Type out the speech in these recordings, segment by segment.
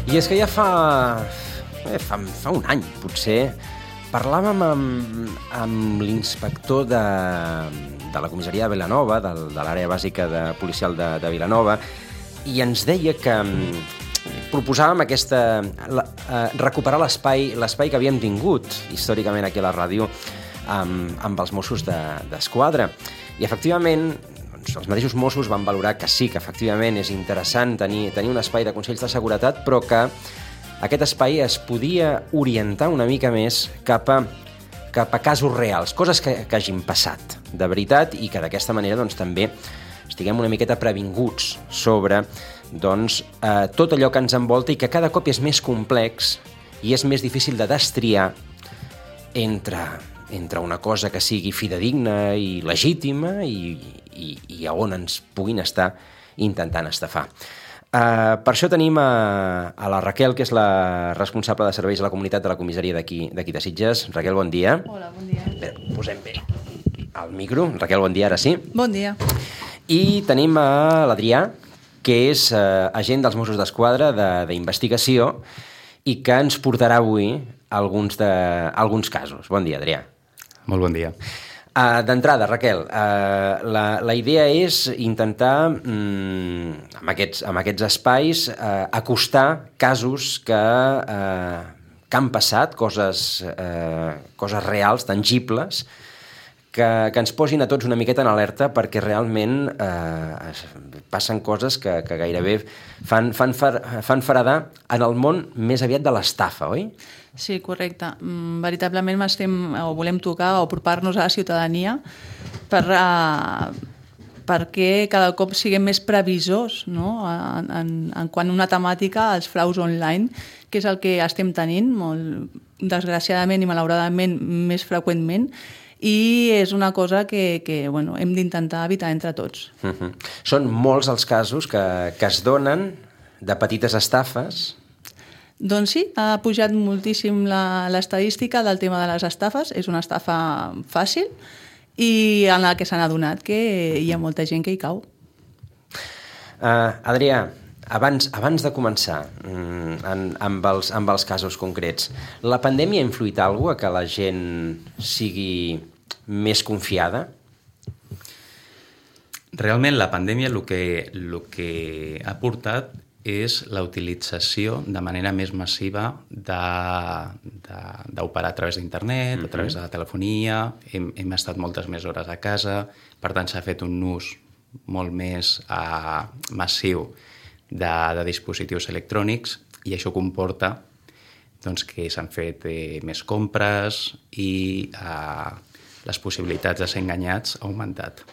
I és que ja fa un any, potser, parlàvem amb l'inspector de la comissaria de Vilanova, de l'àrea bàsica policial de Vilanova, i ens deia que proposàvem recuperar l'espai que havíem tingut històricament aquí a la ràdio amb els Mossos d'Esquadra. I, efectivament, els mateixos Mossos van valorar que sí, que efectivament és interessant tenir un espai de consells de seguretat, però que aquest espai es podia orientar una mica més cap a casos reals, coses que hagin passat de veritat i que d'aquesta manera doncs, també estiguem una miqueta previnguts sobre tot allò que ens envolta i que cada cop és més complex i és més difícil de destriar entre una cosa que sigui fidedigna i legítima i a on ens puguin estar intentant estafar. Per això tenim a la Raquel, que és la responsable de serveis a la comunitat de la comissaria d'aquí de Sitges. Raquel, bon dia. Hola, bon dia. Bé, posem bé el micro. Raquel, bon dia, ara sí. Bon dia. I tenim a l'Adrià, que és agent dels Mossos d'Esquadra d'investigació i que ens portarà avui alguns casos. Bon dia, Adrià. Molt bon dia. D'entrada, Raquel, la idea és intentar, amb aquests espais, acostar casos que han passat, coses reals, tangibles, que ens posin a tots una miqueta en alerta perquè realment passen coses que gairebé fan feredar en el món més aviat de l'estafa, oi? Sí, correcte. Veritablement volem tocar o apropar-nos a la ciutadania perquè cada cop siguem més previsors, no? en quant a una temàtica, els fraus online, que és el que estem tenint, molt desgraciadament i malauradament més freqüentment, i és una cosa que hem d'intentar evitar entre tots. Són molts els casos que es donen de petites estafes. Doncs sí, ha pujat moltíssim l'estadística del tema de les estafes. És una estafa fàcil i en la que s'han adonat que hi ha molta gent que hi cau. Adrià, abans de començar amb els casos concrets, la pandèmia ha influït alguna cosa que la gent sigui més confiada? Realment la pandèmia el que ha portat és la utilització de manera més massiva d'operar a través d'internet, a través de la telefonia. Hem estat moltes més hores a casa, per tant s'ha fet un ús molt més massiu de dispositius electrònics i això comporta que s'han fet més compres i les possibilitats de ser enganyats ha augmentat.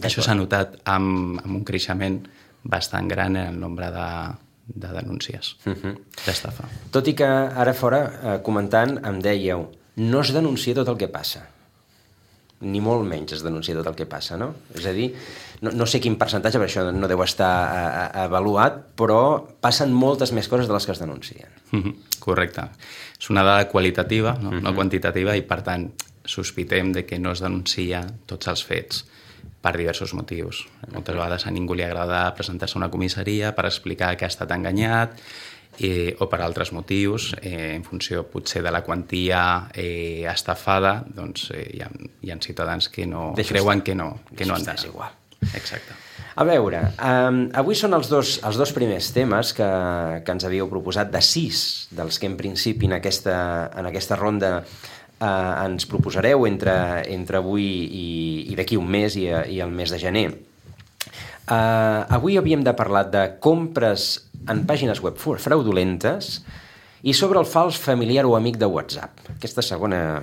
Això s'ha notat amb un creixement bastant gran en el nombre de denúncies d'estafa. Tot i que ara fora, comentant, em dèieu, no es denuncia tot el que passa. Ni molt menys es denuncia tot el que passa, no? És a dir, no sé quin percentatge, per això no deu estar avaluat, però passen moltes més coses de les que es denuncien. Correcte. És una dada qualitativa, no quantitativa, i per tant sospitem de que no es denuncia tots els fets per diversos motius. Moltes vegades a ningú li agrada presentar-se a una comissaria per explicar que ha estat enganyat o per altres motius, en funció potser de la quantia estafada, doncs hi ha ciutadans que no creuen que no han d'anar. És igual. Exacte. A veure, avui són els dos primers temes que ens havíeu proposat, de 6 dels que en principi en aquesta ronda ens proposareu entre avui i d'aquí un mes i el mes de gener. Avui havíem de parlar de compres en pàgines web fraudulentes i sobre el fals familiar o amic de WhatsApp. Aquesta segona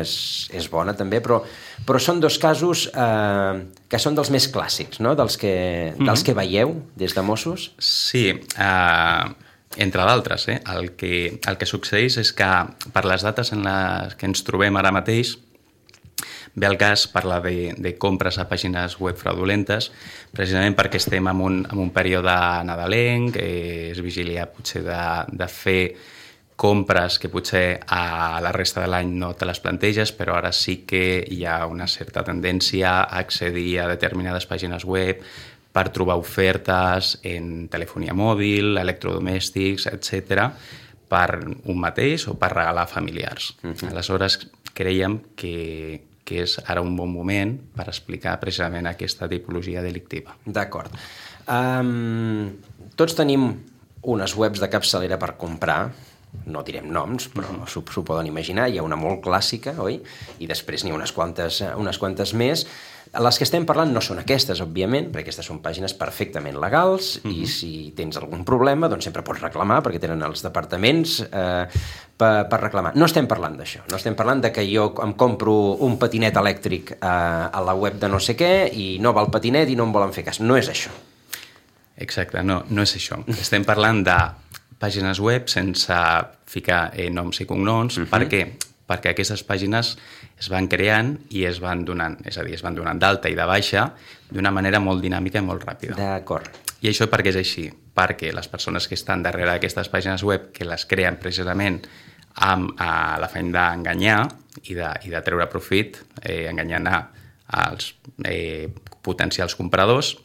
és bona també, però són dos casos que són dels més clàssics, no? dels que veieu des de Mossos. Sí, entre d'altres. El que succeeix és que per les dates en les que ens trobem ara mateix ve el cas parlar de compres a pàgines web fraudulentes, precisament perquè estem en un període nadalenc, és vigília potser de fer compres que potser a la resta de l'any no te les planteges, però ara sí que hi ha una certa tendència a accedir a determinades pàgines web per trobar ofertes en telefonia mòbil, electrodomèstics, etc., per un mateix o per regalar a familiars. Aleshores, creiem que és ara un bon moment per explicar precisament aquesta tipologia delictiva. D'acord. Tots tenim unes webs de capçalera per comprar, no direm noms, però s'ho poden imaginar, hi ha una molt clàssica, oi? I després n'hi ha unes quantes més. Les que estem parlant no són aquestes, òbviament, perquè aquestes són pàgines perfectament legals i si tens algun problema, doncs sempre pots reclamar, perquè tenen els departaments per reclamar. No estem parlant d'això, no estem parlant de que jo em compro un patinet elèctric a la web de no sé què i no va el patinet i no em volen fer cas. No és això. Exacte, no és això. Estem parlant de pàgines web sense ficar noms i cognoms. Per què? Perquè aquestes pàgines es van creant i es van donant, és a dir, es van donant d'alta i de baixa d'una manera molt dinàmica i molt ràpida. D'acord. I això per què és així? Perquè les persones que estan darrere d'aquestes pàgines web, que les creen precisament amb l'afany d'enganyar i de treure profit, enganyant als potencials compradors,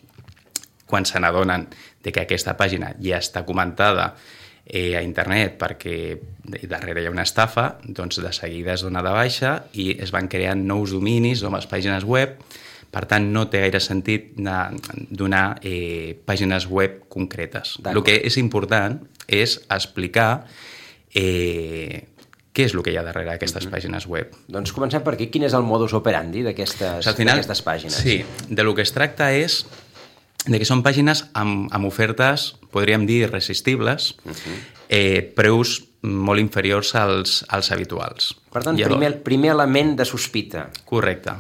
quan se n'adonen que aquesta pàgina ja està comentada a internet perquè darrere hi ha una estafa, doncs de seguida es dona de baixa i es van creant nous dominis, noves pàgines web. Per tant, no té gaire sentit donar pàgines web concretes. El que és important és explicar què és el que hi ha darrere d'aquestes pàgines web. Doncs comencem per aquí. Quin és el modus operandi d'aquestes pàgines? Sí, de lo que es tracta és de que són pàgines amb ofertes, podríem dir, irresistibles, preus molt inferiors als habituals. Per tant, primer element de sospita. Correcte.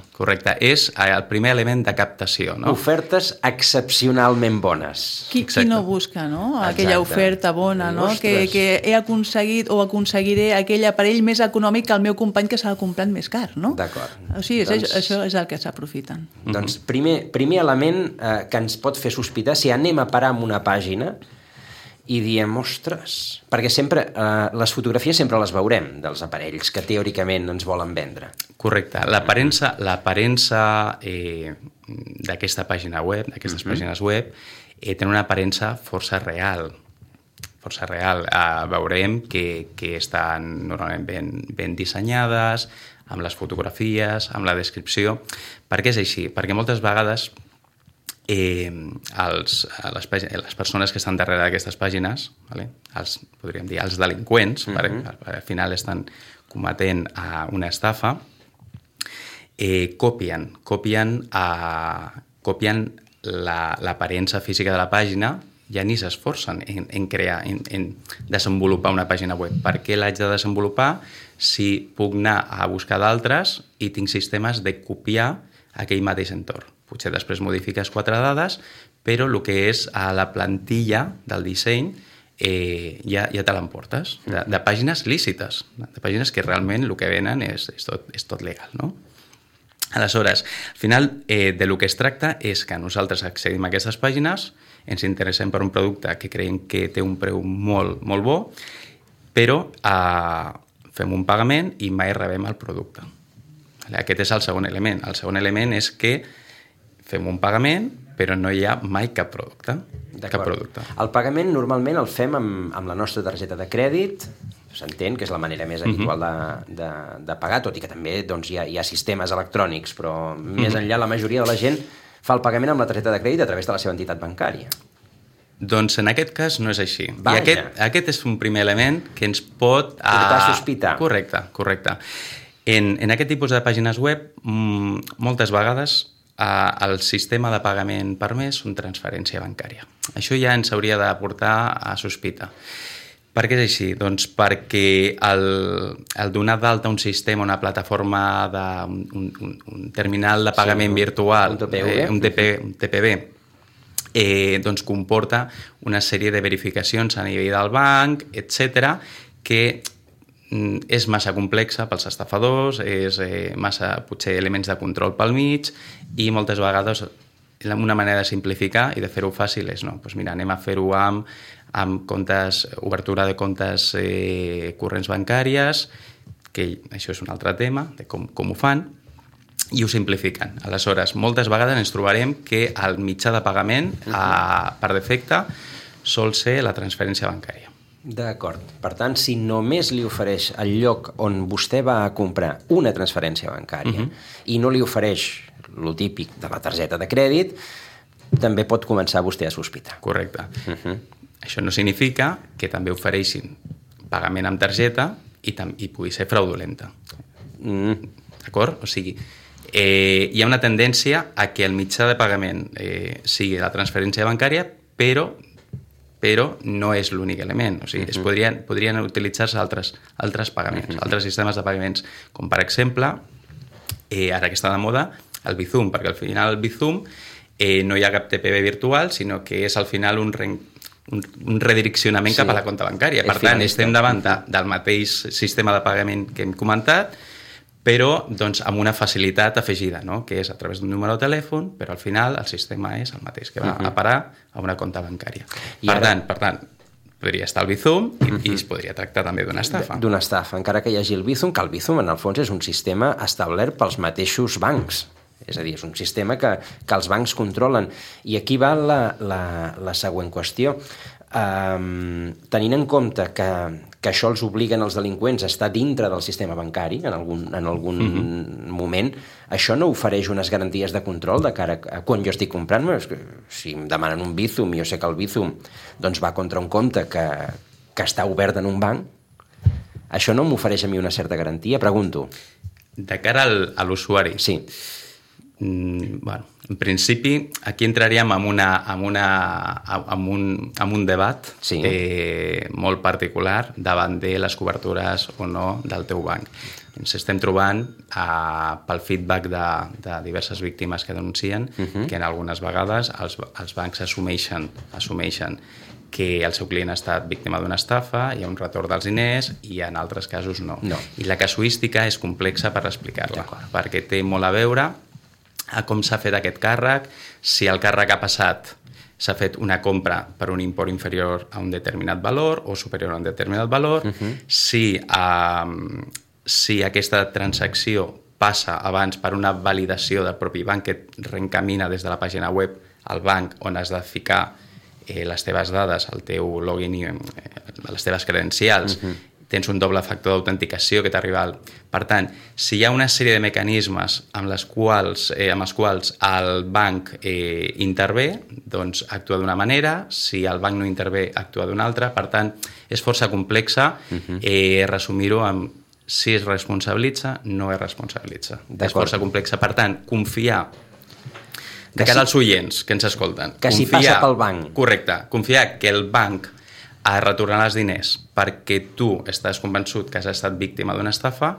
És el primer element de captació. No? Ofertes excepcionalment bones. Qui no busca, no? Aquella oferta bona, no? Que he aconseguit o aconseguiré aquell aparell més econòmic que el meu company que s'ha comprat més car, no? D'acord. O sigui, això és el que s'aprofiten. Doncs primer element que ens pot fer sospitar, si anem a parar en una pàgina i diem, ostres, perquè sempre les fotografies sempre les veurem dels aparells que teòricament ens volen vendre. Correcte. L'aparença d'aquesta pàgina web, d'aquestes pàgines web, tenen una aparença força real. Veurem que estan normalment ben dissenyades, amb les fotografies, amb la descripció. Per què és així? Perquè moltes vegades les persones que estan darrere d'aquestes pàgines, podríem dir els delinqüents, al final estan cometent una estafa, copien l'aparença física de la pàgina, ja ni s'esforcen en crear, en desenvolupar una pàgina web. Per què l'haig de desenvolupar si puc anar a buscar d'altres i tinc sistemes de copiar aquell mateix entorn? Potser després modifiques 4 dades, però el que és a la plantilla del disseny ja te l'emportes, de pàgines lícites, de pàgines que realment el que venen és tot legal, no? Aleshores, al final, de lo que es tracta és que nosaltres accedim a aquestes pàgines, ens interessem per un producte que creiem que té un preu molt, molt bo, però fem un pagament i mai rebem el producte. Aquest és el segon element. El segon element és que fem un pagament, però no hi ha mai cap producte. El pagament normalment el fem amb la nostra targeta de crèdit, s'entén que és la manera més habitual de pagar, tot i que també doncs, hi ha sistemes electrònics, però més enllà la majoria de la gent fa el pagament amb la targeta de crèdit a través de la seva entitat bancària. Doncs en aquest cas no és així. Vaja. I aquest és un primer element que ens pot portar a sospitar. Correcte. En aquest tipus de pàgines web, moltes vegades el sistema de pagament permès és una transferència bancària. Això ja ens hauria de portar a sospita. Per què és així? Doncs perquè el donar d'alta un sistema, una plataforma, un terminal de pagament virtual, un TPV, doncs comporta una sèrie de verificacions a nivell del banc, etc., que és massa complexa pels estafadors, és massa, potser, elements de control pel mig, i moltes vegades una manera de simplificar i de fer-ho fàcil és, no, doncs mira, anem a fer-ho amb comptes, obertura de comptes corrents bancàries, que això és un altre tema, de com ho fan, i ho simplifiquen. Aleshores, moltes vegades ens trobarem que el mitjà de pagament, per defecte, sol ser la transferència bancària. D'acord. Per tant, si només li ofereix el lloc on vostè va a comprar una transferència bancària i no li ofereix lo típic de la targeta de crèdit, també pot començar vostè a sospitar. Correcte. Això no significa que també ofereixin pagament amb targeta i pugui ser fraudulenta. D'acord? O sigui, hi ha una tendència a que el mitjà de pagament sigui la transferència bancària, però no és l'únic element. O sigui, podrien utilitzar-se altres pagaments, altres sistemes de pagaments, com per exemple, ara que està de moda, el Bizum, perquè al final el Bizum no hi ha cap TPV virtual, sinó que és al final un redireccionament cap a la compta bancària. Per tant, estem davant del mateix sistema de pagament que hem comentat, però doncs, amb una facilitat afegida, no? Que és a través d'un número de telèfon, però al final el sistema és el mateix, que va a parar a una compta bancària. Per tant, podria estar el Bizum i es podria tractar també d'una estafa. D'una estafa, encara que hi hagi el Bizum, que el Bizum en el fons és un sistema establert pels mateixos bancs. És a dir, és un sistema que els bancs controlen. I aquí va la següent qüestió. Tenint en compte que això els obliguen els delinqüents a estar dintre del sistema bancari en algun moment, això no ofereix unes garanties de control de cara a quan jo estic comprant. Si em demanen un Bizum i jo sé que el Bizum doncs, va contra un compte que està obert en un banc, això no m'ofereix a mi una certa garantia? Pregunto. De cara a l'usuari? Sí. Bueno, en principi, aquí entraríem en un debat molt particular davant de les cobertures o no del teu banc. Ens estem trobant pel feedback de diverses víctimes que denuncien que en algunes vegades els bancs assumeixen que el seu client ha estat víctima d'una estafa, hi ha un retorn dels diners i en altres casos no. I la casuística és complexa per explicar-la, perquè té molt a veure a com s'ha fet aquest càrrec, si el càrrec ha passat, s'ha fet una compra per un import inferior a un determinat valor o superior a un determinat valor, si aquesta transacció passa abans per una validació del propi banc que et reencamina des de la pàgina web al banc on has de ficar les teves dades, el teu login i les teves credencials, tens un doble factor d'autenticació que t'arriba Per tant, si hi ha una sèrie de mecanismes amb els quals el banc intervé, doncs actua d'una manera, si el banc no intervé, actua d'una altra. Per tant, és força complexa resumir-ho amb si es responsabilitza, no es responsabilitza. És força complexa. Per tant, confiar de cara als oients que ens escolten. Que si passa pel banc. Correcte. Confiar que el banc a retornar els diners perquè tu estàs convençut que has estat víctima d'una estafa,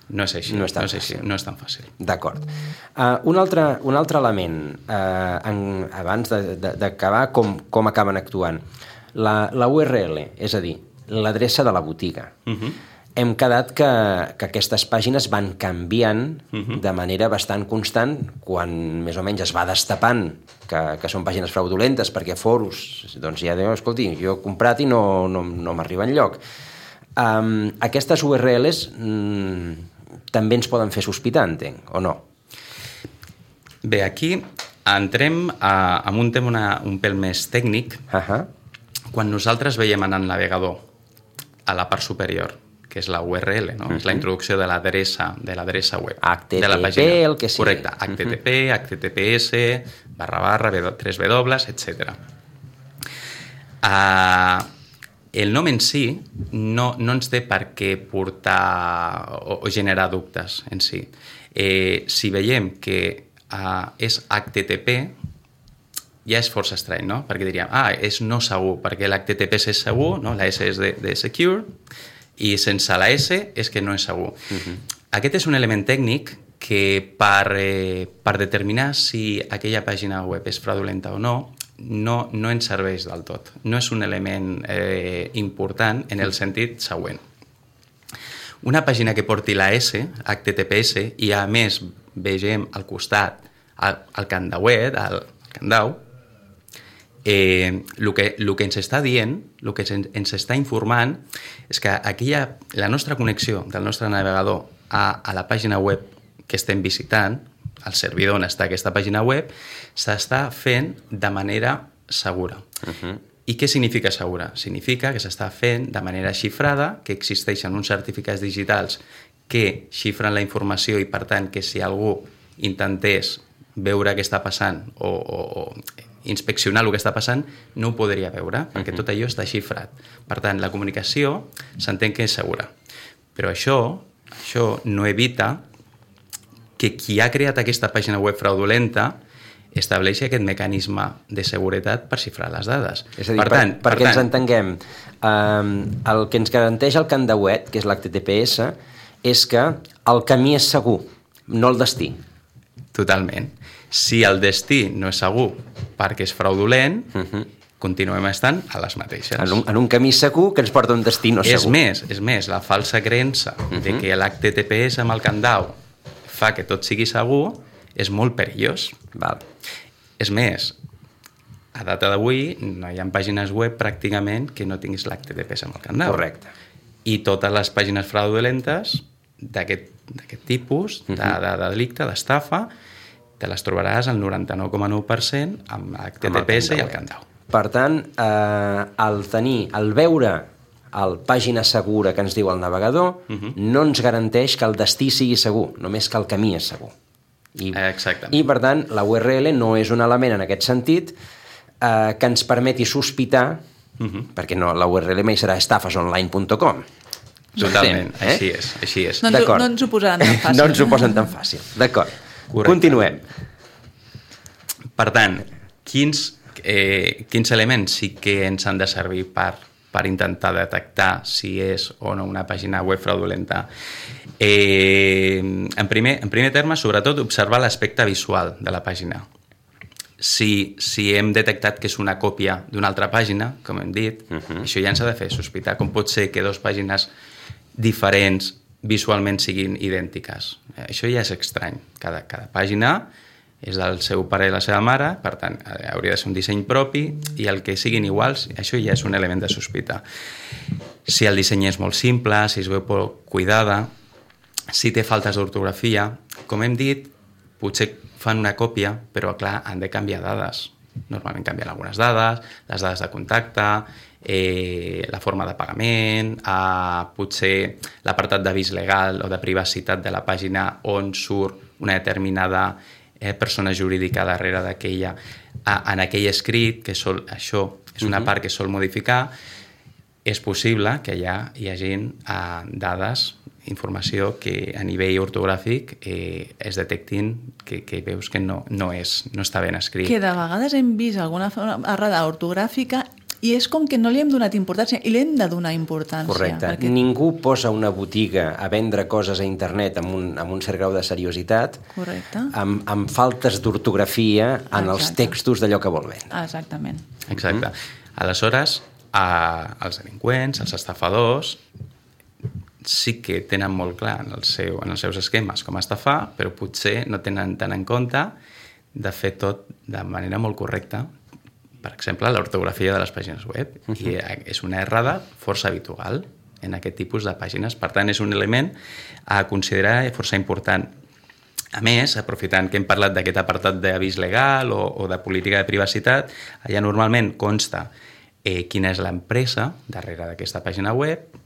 no és així. No és tan fàcil. D'acord. Un altre element, abans d'acabar, com acaben actuant. La URL, és a dir, l'adreça de la botiga. Hem quedat que aquestes pàgines van canviant de manera bastant constant quan més o menys es va destapant que són pàgines fraudulentes perquè foros doncs ja diuen, escolti, jo he comprat i no m'arriba enlloc. Aquestes URLs també ens poden fer sospitar, entenc, o no? Bé, aquí entrem en un tema un pèl més tècnic. Quan nosaltres veiem en el navegador a la part superior que és la URL, no? És la introducció de l'adreça web. HTTP, de la pàgina. El que sigui. Correcte, HTTP, HTTPS, // 3W, etc. El nom en si no ens té per què portar o generar dubtes en si. Si veiem que és HTTP, ja és força estrany, no? Perquè diríem, és no segur, perquè l'HTTPS és segur, no? La S és de secure, i sense la S és que no és segur. Aquest és un element tècnic que per determinar si aquella pàgina web és fraudulenta o no ens serveix del tot. No és un element important en el sentit següent. Una pàgina que porti la S, HTTPS, i a més vegem al costat el candauet, el candau, el que ens està dient, el que ens està informant és que la nostra connexió del nostre navegador a la pàgina web que estem visitant, el servidor on està aquesta pàgina web, s'està fent de manera segura. I què significa segura? Significa que s'està fent de manera xifrada, que existeixen uns certificats digitals que xifren la informació i, per tant, que si algú intentés veure què està passant o inspeccionar el que està passant, no ho podria veure, perquè tot allò està xifrat. Per tant, la comunicació s'entén que és segura. Però això no evita que qui ha creat aquesta pàgina web fraudulenta estableixi aquest mecanisme de seguretat per xifrar les dades. És a dir, perquè ens entenguem, el que ens garanteix el candauet, que és l'HTTPS, és que el camí és segur, no el destí. Totalment. Si el destí no és segur perquè és fraudulent, continuem estant a les mateixes. En un camí segur que ens porta a un destí no segur. És més, la falsa creença de que l'HTTPS amb el candau fa que tot sigui segur és molt perillós. Val. És més, a data d'avui no hi ha pàgines web pràcticament que no tinguis l'HTTPS amb el candau. Correcte. I totes les pàgines fraudulentes d'aquest tipus de delicte, d'estafa, te les trobaràs al 99,9% amb l'HTTPS i el candau. Per tant, el veure el pàgina segura que ens diu el navegador no ens garanteix que el destí sigui segur, només que el camí és segur. Exactament. I, per tant, la URL no és un element en aquest sentit que ens permeti sospitar, perquè no, la URL mai serà estafasonline.com. Totalment, així és. No ens ho posaran tan fàcil. No ens ho posen tan fàcil, d'acord. Correcte. Continuem. Per tant, quins elements sí que ens han de servir per intentar detectar si és o no una pàgina web fraudulenta? En primer terme, sobretot, observar l'aspecte visual de la pàgina. Si hem detectat que és una còpia d'una altra pàgina, com hem dit, això ja ens ha de fer sospitar. Com pot ser que dues pàgines diferents visualment siguin idèntiques? Això ja és estrany. Cada pàgina és del seu pare i la seva mare, per tant, hauria de ser un disseny propi, i el que siguin iguals, això ja és un element de sospita. Si el disseny és molt simple, si es veu poc cuidada, si té faltes d'ortografia, com hem dit, potser fan una còpia, però clar, han de canviar dades. Normalment canvien algunes dades, les dades de contacte, la forma de pagament, potser l'apartat d'avís legal o de privacitat de la pàgina on surt una determinada persona jurídica darrere d'aquella, en aquell escrit, que això és una part que sol modificar. És possible que hi hagi dades, informació que a nivell ortogràfic es detectin que veus que no està ben escrit. Que de vegades hem vist alguna errada ortogràfica i és com que no li hem donat importància i li hem de donar importància. Correcte. Perquè ningú posa una botiga a vendre coses a internet amb un cert grau de seriositat. Correcte. Amb faltes d'ortografia en els textos d'allò que vol vendre. Exactament. Exacte. Aleshores, els delinqüents, els estafadors, sí que tenen molt clar en els seus esquemes com estafar, però potser no tenen tant en compte de fer tot de manera molt correcta. Per exemple, l'ortografia de les pàgines web. I és una errada força habitual en aquest tipus de pàgines. Per tant, és un element a considerar força important. A més, aprofitant que hem parlat d'aquest apartat d'avís legal o de política de privacitat, allà normalment consta quina és l'empresa darrere d'aquesta pàgina web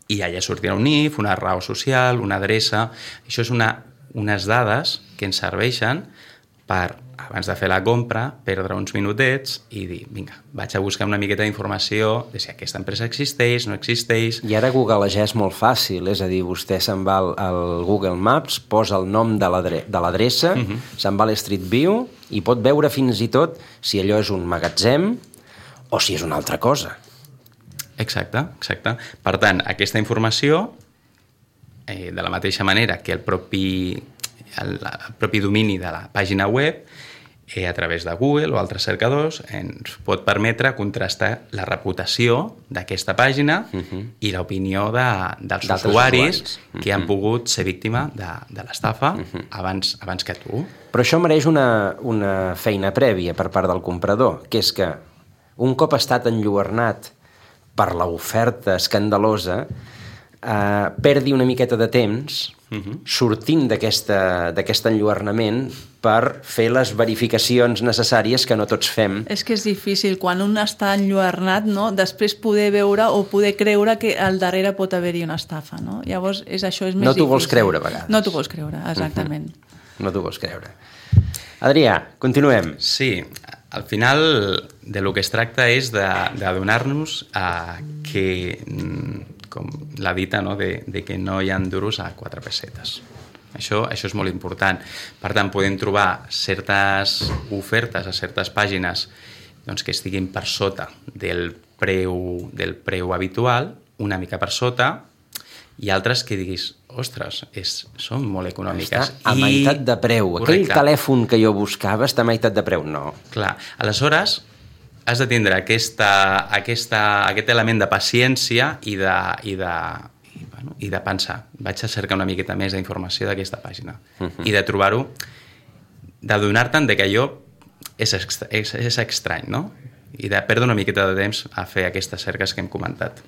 i allà sortirà un NIF, una raó social, una adreça. Això és unes dades que ens serveixen per, abans de fer la compra, perdre uns minutets i dir, vinga, vaig a buscar una miqueta d'informació de si aquesta empresa existeix, no existeix. I ara Google ja és molt fàcil, és a dir, vostè se'n va al Google Maps, posa el nom de l'adreça, se'n va a l'Street View i pot veure fins i tot si allò és un magatzem o si és una altra cosa. Exacte. Per tant, aquesta informació, de la mateixa manera que el propi domini de la pàgina web, a través de Google o altres cercadors, ens pot permetre contrastar la reputació d'aquesta pàgina i l'opinió dels usuaris que han pogut ser víctima de l'estafa abans que tu. Però això mereix una feina prèvia per part del comprador, que és que un cop ha estat enlluernat per l'oferta escandalosa, perdi una miqueta de temps sortint d'aquest enlluernament per fer les verificacions necessàries que no tots fem. És que és difícil, quan un està enlluernat, no? Després poder veure o poder creure que al darrere pot haver-hi una estafa. No? Llavors, això és més difícil. No t'ho vols creure, a vegades. No t'ho vols creure, exactament. No t'ho vols creure. Adrià, continuem. Sí, al final de lo que es tracta és d'adonar-nos que, com la dita, no? de que no hi ha duros a 4 pessetes. Això és molt important. Per tant, podem trobar certes ofertes a certes pàgines doncs, que estiguin per sota del preu habitual, una mica per sota, i altres que diguis, ostres, són molt econòmiques. Està a meitat de preu. Correcte. Aquell telèfon que jo buscava està a meitat de preu. No. Clar, aleshores has de tindre aquest element de paciència i de pensar, vaig a cercar una miqueta més d'informació d'aquesta pàgina i de trobar-ho, d'adonar-te'n que allò és estrany, no? I de perdre una miqueta de temps a fer aquestes cerques que hem comentat.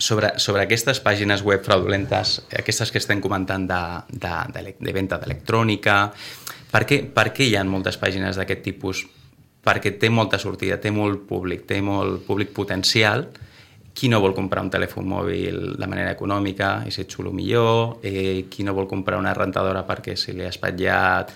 Sobre aquestes pàgines web fraudulentes, aquestes que estem comentant de venda d'electrònica, per què hi ha moltes pàgines d'aquest tipus? Perquè té molta sortida, té molt públic potencial. Qui no vol comprar un telèfon mòbil de manera econòmica i ser xulo millor? Qui no vol comprar una rentadora perquè se li ha espatllat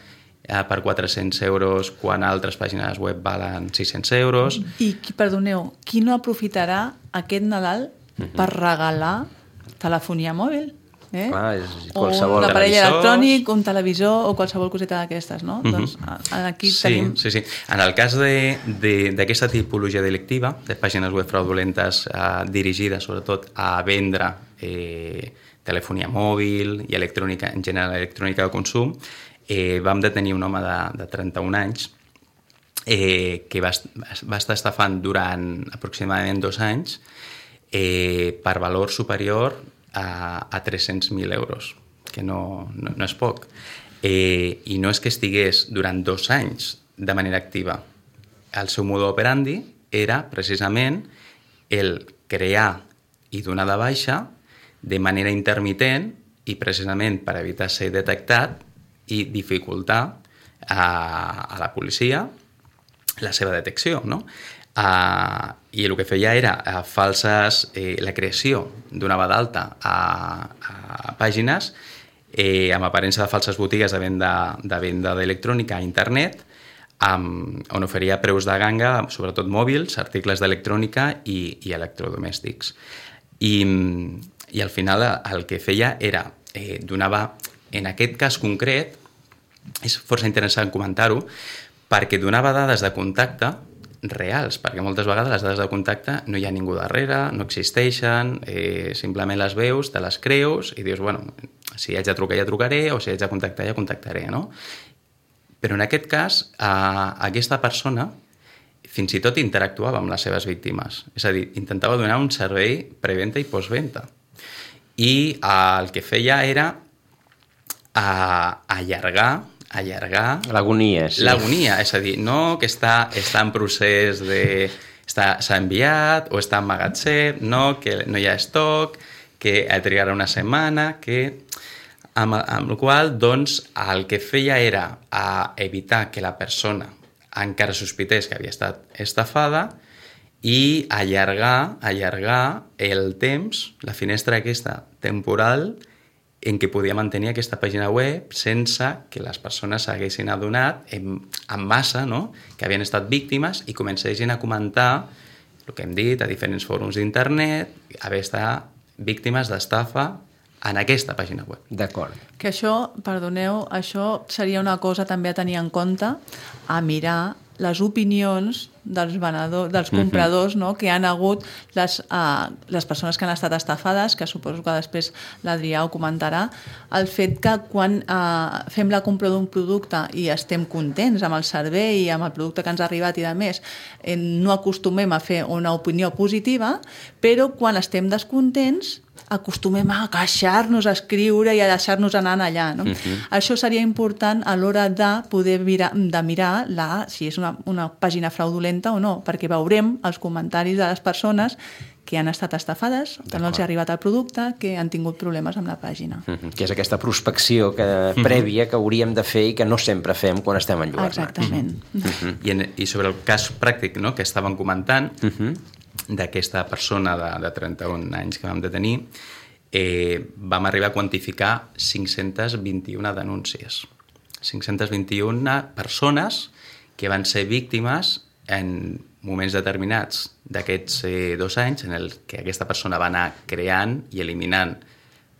per 400 euros quan altres pàgines web valen 600 euros? I, perdoneu, qui no aprofitarà aquest Nadal per regalar telefonia mòbil? Clar, és qualsevol... O un aparell elèctronic, un televisor o qualsevol coseta d'aquestes, no? Doncs aquí tenim... Sí. En el cas d'aquesta tipologia delictiva, de pàgines web fraudulentes dirigides sobretot a vendre telefonia mòbil i electrònica, en general electrònica de consum, vam detenir un home de 31 anys que va estar estafant durant aproximadament 2 anys per valor superior a 300.000 euros, que no és poc. I no és que estigués durant 2 anys de manera activa. El seu modus operandi era precisament el crear i donar de baixa de manera intermitent i precisament per evitar ser detectat i dificultar a la policia la seva detecció, no? I el que feia era la creació donava d'alta a pàgines amb aparença de falses botigues de venda d'electrònica a internet, on oferia preus de ganga, sobretot mòbils, articles d'electrònica i electrodomèstics. I al final el que feia era donava, en aquest cas concret, és força interessant comentar-ho, perquè donava dades de contacte reals, perquè moltes vegades les dades de contacte no hi ha ningú darrere, no existeixen, simplement les veus, te les creus i dius, bueno, si haig de trucar ja trucaré o si haig de contactar ja contactaré, no? Però en aquest cas, aquesta persona fins i tot interactuava amb les seves víctimes, és a dir, intentava donar un servei preventa i postventa. I el que feia era allargar l'agonia, sí. L'agonia, és a dir, no que està en procés s'ha enviat o està en magatzem, no, que no hi ha estoc, que trigarà una setmana, amb el qual, doncs, el que feia era evitar que la persona encara sospités que havia estat estafada i allargar el temps, la finestra aquesta temporal en què podia mantenir aquesta pàgina web sense que les persones s'haguessin adonat en massa, no?, que havien estat víctimes i comencessin a comentar el que hem dit a diferents fòrums d'internet, haver estat víctimes d'estafa en aquesta pàgina web. D'acord. Que això, perdoneu, això seria una cosa també a tenir en compte, a mirar les opinions dels venedors, dels compradors, no?, que han hagut les persones que han estat estafades, que suposo que després l'Adrià ho comentarà, el fet que quan fem la compra d'un producte i estem contents amb el servei i amb el producte que ens ha arribat i de més, no acostumem a fer una opinió positiva, però quan estem descontents acostumem a queixar-nos, a escriure i a deixar-nos anar allà, no? Això seria important a l'hora de poder mirar si és una pàgina fraudulenta o no, perquè veurem els comentaris de les persones que han estat estafades, que no els ha arribat el producte, que han tingut problemes amb la pàgina. Que és aquesta prospecció prèvia que hauríem de fer i que no sempre fem quan estem enlluernats. Exactament. I sobre el cas pràctic, no?, que estàvem comentant, d'aquesta persona de 31 anys que vam detenir, vam arribar a quantificar 521 denúncies. 521 persones que van ser víctimes en moments determinats d'aquests 2 anys en el que aquesta persona va anar creant i eliminant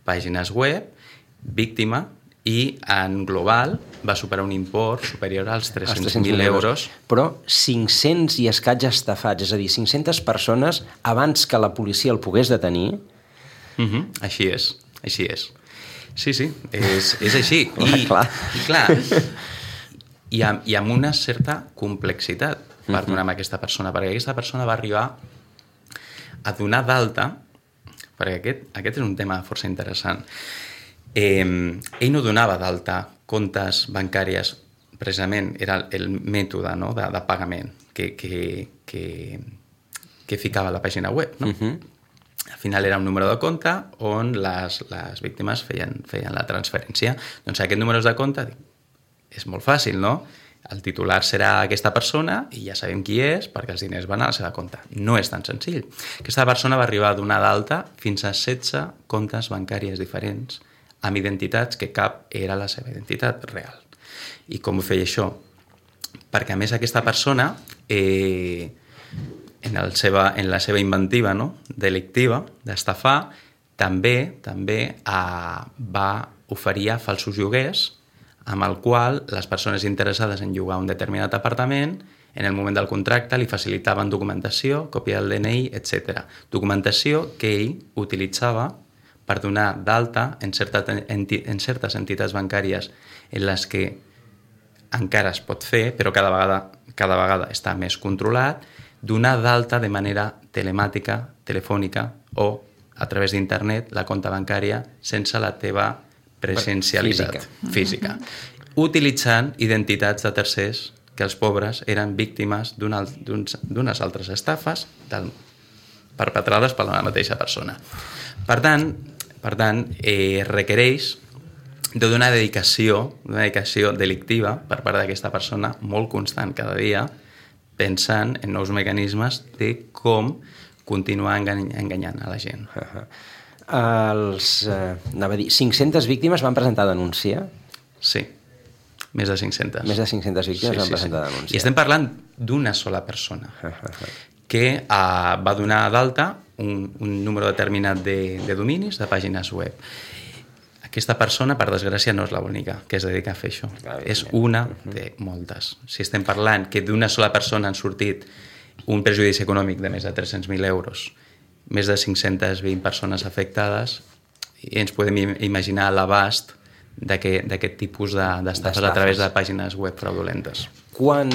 pàgines web, víctima, i en global va superar un import superior als 300.000 euros. Però 500 i escaig estafats, és a dir, 500 persones abans que la policia el pogués detenir. Així és. Sí, és així. I amb una certa complexitat per donar a aquesta persona, perquè aquesta persona va arribar a donar d'alta, perquè aquest és un tema força interessant. Ell no donava d'alta comptes bancàries, precisament era el mètode, no?, de pagament que ficava a la pàgina web, no? Al final era un número de compte on les víctimes feien la transferència. Doncs aquest número de compte és molt fàcil, no? El titular serà aquesta persona i ja sabem qui és perquè els diners van a la seva compte. No és tan senzill. Aquesta persona va arribar a donar d'alta fins a 16 comptes bancàries diferents amb identitats que cap era la seva identitat real. I com ho feia això? Perquè a més aquesta persona, en la seva inventiva, no?, delictiva, d'estafar, també va oferir falsos lloguers amb el qual les persones interessades en llogar un determinat apartament, en el moment del contracte li facilitaven documentació, còpia del DNI, etc. Documentació que ell utilitzava per donar d'alta en certes entitats bancàries en les que encara es pot fer, però cada vegada està més controlat, donar d'alta de manera telemàtica, telefònica o a través d'internet la compta bancària sense la teva presencialitat física. Utilitzant identitats de tercers que els pobres eren víctimes d'unes altres estafes perpetrades per la mateixa persona. Per tant, requereix d'una dedicació delictiva per part d'aquesta persona molt constant cada dia, pensant en nous mecanismes de com continuar enganyant a la gent. 500 víctimes van presentar denúncia? Sí, més de 500. Més de 500 víctimes van presentar denúncia. I estem parlant d'una sola persona que va donar d'alta un número determinat de dominis, de pàgines web. Aquesta persona, per desgràcia, no és l'única que es dedica a fer això. És una de moltes. Si estem parlant que d'una sola persona han sortit un perjudici econòmic de més de 300.000 euros, més de 520 persones afectades, i ens podem imaginar l'abast d'aquest tipus d'estafes a través de pàgines web fraudulentes. Quan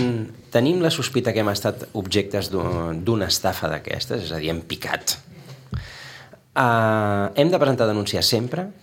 tenim la sospita que hem estat objectes d'una estafa d'aquestes, és a dir, hem picat, hem de presentar denúncia sempre?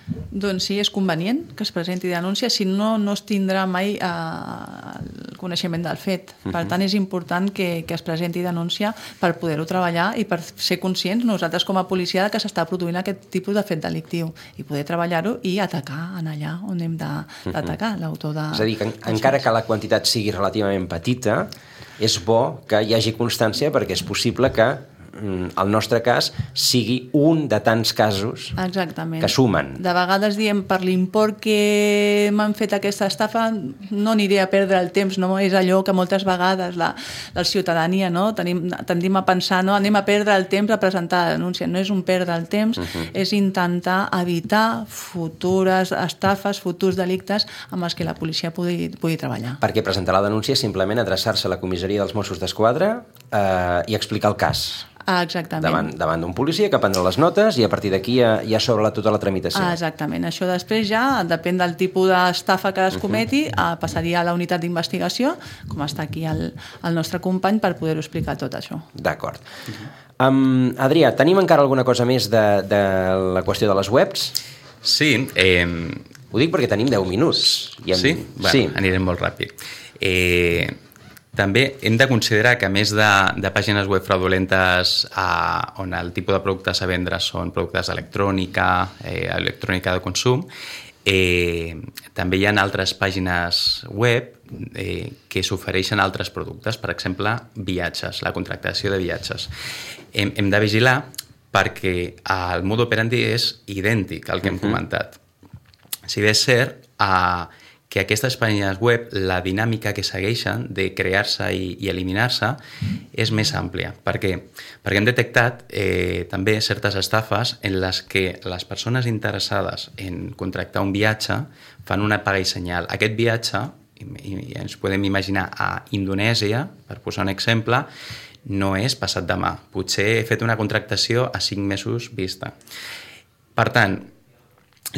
Doncs sí, és convenient que es presenti denúncia, si no, no es tindrà mai el coneixement del fet. Per tant, és important que es presenti denúncia per poder-ho treballar i per ser conscients nosaltres com a policia que s'està produint aquest tipus de fet delictiu i poder treballar-ho i atacar en allà on hem d'atacar l'autor de... És a dir, que encara que la quantitat sigui relativament petita, és bo que hi hagi constància perquè és possible que el nostre cas sigui un de tants casos que sumen. De vegades diem per l'import que m'han fet aquesta estafa no aniré a perdre el temps, no? És allò que moltes vegades la ciutadania, no? Tendim a pensar, no? Anem a perdre el temps a presentar la denúncia. No és un perdre el temps, és intentar evitar futures estafes, futurs delictes amb els que la policia pugui treballar. Perquè presentar la denúncia és simplement adreçar-se a la comissaria dels Mossos d'Esquadra i explicar el cas. Exactament. Davant d'un policia que prendrà les notes i a partir d'aquí ja s'obre tota la tramitació. Exactament. Això després ja, depèn del tipus d'estafa que es cometi, passaria a la unitat d'investigació, com està aquí el nostre company, per poder-ho explicar tot això. D'acord. Adrià, tenim encara alguna cosa més de la qüestió de les webs? Sí. Ho dic perquè tenim 10 minuts. Sí? Bueno, anirem molt ràpid. També hem de considerar que, a més de pàgines web fraudulentes on el tipus de productes a vendre són productes d'electrònica, electrònica de consum, també hi ha altres pàgines web que s'ofereixen altres productes, per exemple, viatges, la contractació de viatges. Hem de vigilar perquè el mode operandi és idèntic al que hem comentat. Si bé és cert que aquestes pàgines web, la dinàmica que segueixen de crear-se i eliminar-se és més àmplia. Per què? Perquè hem detectat també certes estafes en les que les persones interessades en contractar un viatge fan una paga i senyal. Aquest viatge, i ens podem imaginar a Indonèsia, per posar un exemple, no és passat demà. Potser he fet una contractació a 5 mesos vista. Per tant,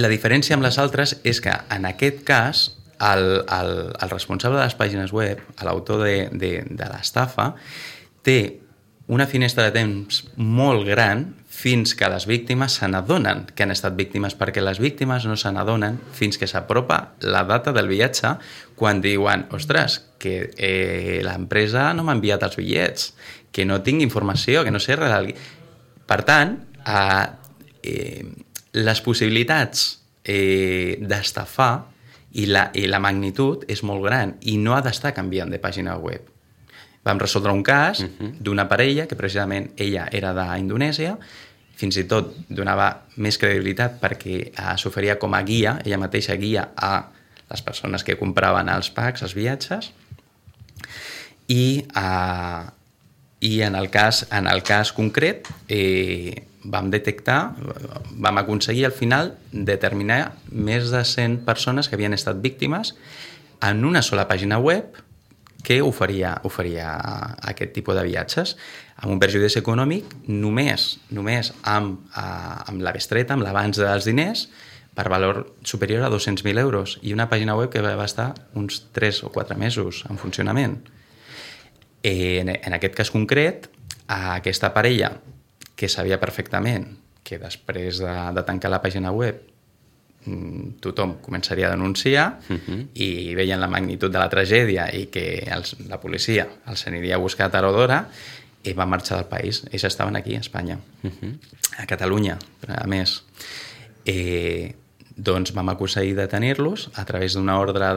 la diferència amb les altres és que en aquest cas el responsable de les pàgines web, l'autor de l'estafa, té una finestra de temps molt gran fins que les víctimes se n'adonen que han estat víctimes, perquè les víctimes no se n'adonen fins que s'apropa la data del viatge, quan diuen, ostres, que l'empresa no m'ha enviat els bitllets, que no tinc informació, que no sé res. Per tant, les possibilitats d'estafar i la magnitud és molt gran i no ha d'estar canviant de pàgina web. Vam resoldre un cas d'una parella que precisament ella era d'Indonèsia, fins i tot donava més credibilitat perquè s'oferia com a guia, ella mateixa guia a les persones que compraven els packs, els viatges, i en el cas concret vam aconseguir al final determinar més de 100 persones que havien estat víctimes en una sola pàgina web que oferia aquest tipus de viatges amb un perjudici econòmic només amb la bestreta, amb l'abans dels diners, per valor superior a 200.000 euros, i una pàgina web que va estar uns 3 o 4 mesos en funcionament. En aquest cas concret, aquesta parella, que sabia perfectament que després de tancar la pàgina web tothom començaria a denunciar i veien la magnitud de la tragèdia i que la policia els aniria a buscar a tard o d'hora, i van marxar del país. Ells estaven aquí, a Espanya, a Catalunya, a més. Doncs vam aconseguir detenir-los a través d'una ordre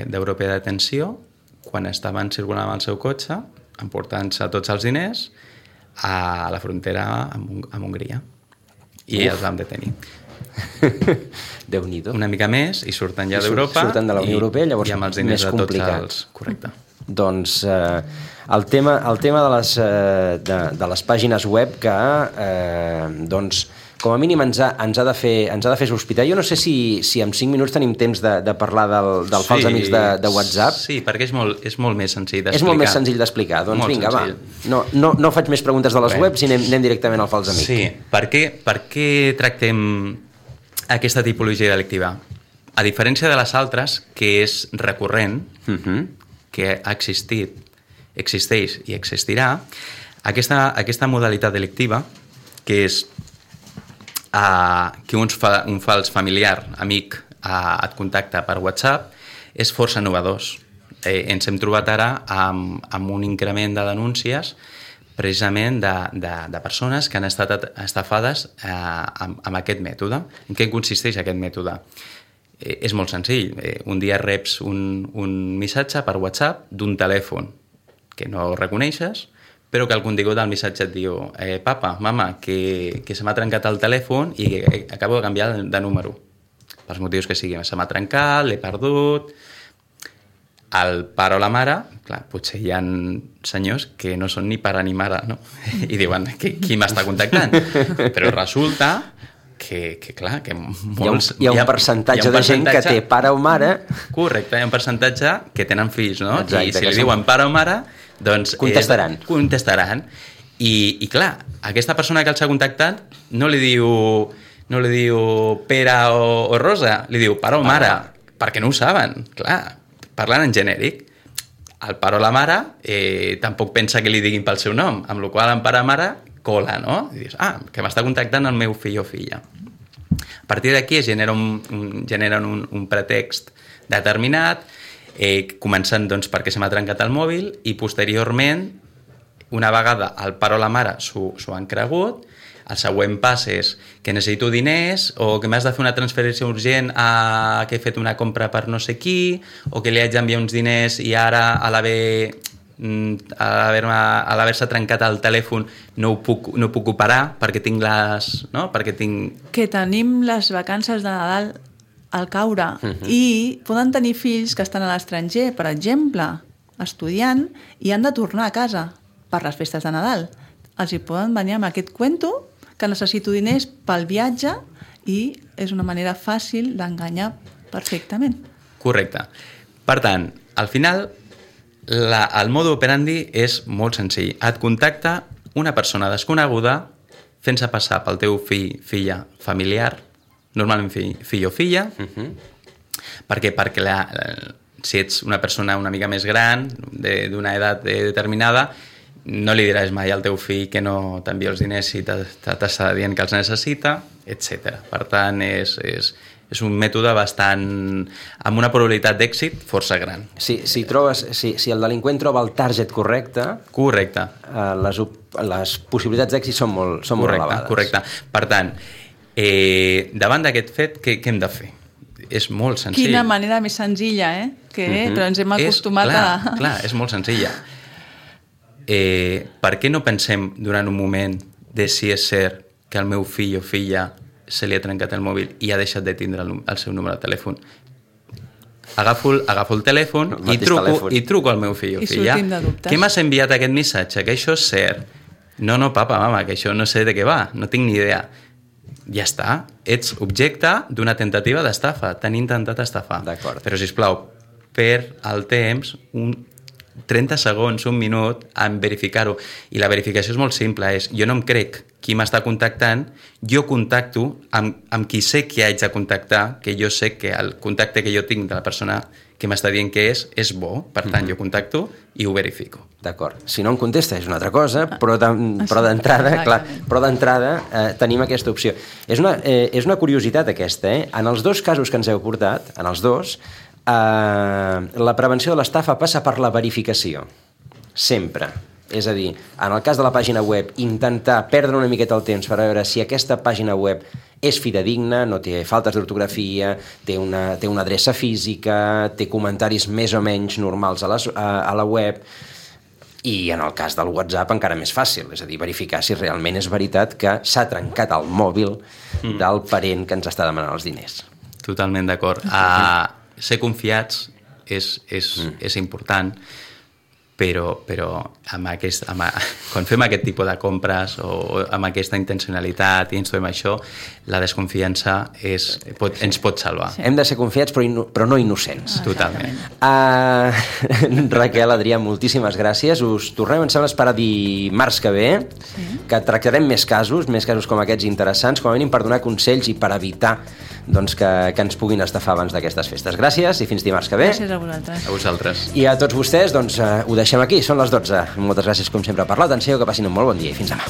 d'europea de detenció quan estaven circulant amb el seu cotxe, emportant-se tots els diners a la frontera amb Hongria. I els vam detenir. Déu-n'hi-do. Una mica més i surten ja d'Europa. Surten de la Unió Europea, llavors i amb els diners més complicat. Correcte. Doncs el tema de les pàgines web que doncs, com a mínim ens ha de fer sospitar. Jo no sé si en 5 minuts tenim temps de parlar del fals amics de WhatsApp. Sí, perquè és molt més senzill d'explicar. És molt més senzill d'explicar. Doncs molt vinga, senzill. Va. No faig més preguntes de les webs i anem directament al fals amic. Sí, per què tractem aquesta tipologia delictiva? A diferència de les altres, que és recurrent, que ha existit, existeix i existirà, aquesta modalitat delictiva, que és que un fals familiar, amic, et contacta per WhatsApp, és força innovador. Ens hem trobat ara amb un increment de denúncies precisament de persones que han estat estafades amb aquest mètode. En què consisteix aquest mètode? És molt senzill. Un dia reps un missatge per WhatsApp d'un telèfon que no reconeixes, però que el contingut del missatge et diu papa, mama, que se m'ha trencat el telèfon i acabo de canviar de número. Pels motius que sigui. Se m'ha trencat, l'he perdut. El pare o la mare, clar, potser hi ha senyors que no són ni pare ni mare, no? I diuen, qui m'està contactant? Però resulta que clar, que molts... Hi ha un percentatge de gent que té pare o mare... Correcte, hi ha un percentatge que tenen fills, no? Exacte, i si li diuen pare o mare, doncs... Contestaran. I clar, aquesta persona que els ha contactat no li diu Pere o Rosa, li diu pare o mare, perquè no ho saben, clar, parlant en genèric. El pare o la mare tampoc pensa que li diguin pel seu nom, amb la qual cosa en pare o mare cola, no? I dius, que m'està contactant el meu fill o filla. A partir d'aquí es generen un pretext determinat, començant doncs, perquè se m'ha trencat el mòbil i posteriorment, una vegada el pare o la mare s'ho han cregut, el següent pas és que necessito diners o que m'has de fer una transferència urgent que he fet una compra per no sé qui o que li haig d'enviar uns diners i ara a l'haver-se trencat el telèfon no puc operar perquè tinc Que tenim les vacances de Nadal al caure i poden tenir fills que estan a l'estranger, per exemple, estudiant i han de tornar a casa per les festes de Nadal. Els hi poden venir amb aquest cuento que necessito diners pel viatge i és una manera fàcil d'enganyar perfectament. Correcte. Per tant, al final, el mode operandi és molt senzill. Et contacta una persona desconeguda fent-se passar pel teu fill, filla, familiar, normalment fill o filla, perquè si ets una persona una mica més gran, d'una edat determinada, no li diràs mai al teu fill que no t'envia els diners si t'està dient que els necessita, etc. Per tant, és un mètode amb una probabilitat d'èxit força gran. Si el delinqüent troba el target correcte, les possibilitats d'èxit són molt elevades. Correcte. Per tant, davant d'aquest fet, què hem de fer? És molt senzill. Quina manera més senzilla, però ens hem acostumat a... Clar, és molt senzilla. Per què no pensem durant un moment de si és cert que el meu fill o filla se li ha trencat el mòbil i ha deixat de tindre el seu número de telèfon? Agafo el telèfon i truco al meu fill o filla. Què m'has enviat aquest missatge? Que això és cert? No, papa, mama, que això no sé de què va, no tinc ni idea. Ja està, ets objecte d'una tentativa d'estafa, t'han intentat estafar. Però, sisplau, per el temps, 30 segons, un minut, en verificar-ho. I la verificació és molt simple, jo no em crec qui m'està contactant, jo contacto amb qui sé que haig de contactar, que jo sé que el contacte que jo tinc de la persona que m'està dient que és bo, per tant, jo contacto i ho verifico. D'acord. Si no em contesta és una altra cosa, però d'entrada tenim aquesta opció. És una curiositat aquesta, En els dos casos que ens heu portat, en els dos, la prevenció de l'estafa passa per la verificació. Sempre. És a dir, en el cas de la pàgina web, intentar perdre una miqueta el temps per veure si aquesta pàgina web és fidedigna, no té faltes d'ortografia, té una adreça física, té comentaris més o menys normals a la web, i en el cas del WhatsApp encara més fàcil, és a dir, verificar si realment és veritat que s'ha trencat el mòbil del parent que ens està demanant els diners. Totalment d'acord. Ser confiats és important, però quan fem aquest tipus de compres o amb aquesta intencionalitat i ens fem això, la desconfiança ens pot salvar. Hem de ser confiats però no innocents. Totalment. Raquel, Adrià, moltíssimes gràcies. Us tornem, em sembla, a esperar dimarts que ve, que tractarem més casos com aquests interessants, com a mínim per donar consells i per evitar que ens puguin estafar abans d'aquestes festes. Gràcies i fins dimarts que ve. Gràcies a vosaltres. A vosaltres. I a tots vostès, ho deixem aquí, són les 12. Moltes gràcies, com sempre, per l'atenció, que passin un molt bon dia i fins demà.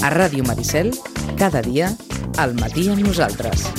A Ràdio Maricel, cada dia, al matí amb nosaltres.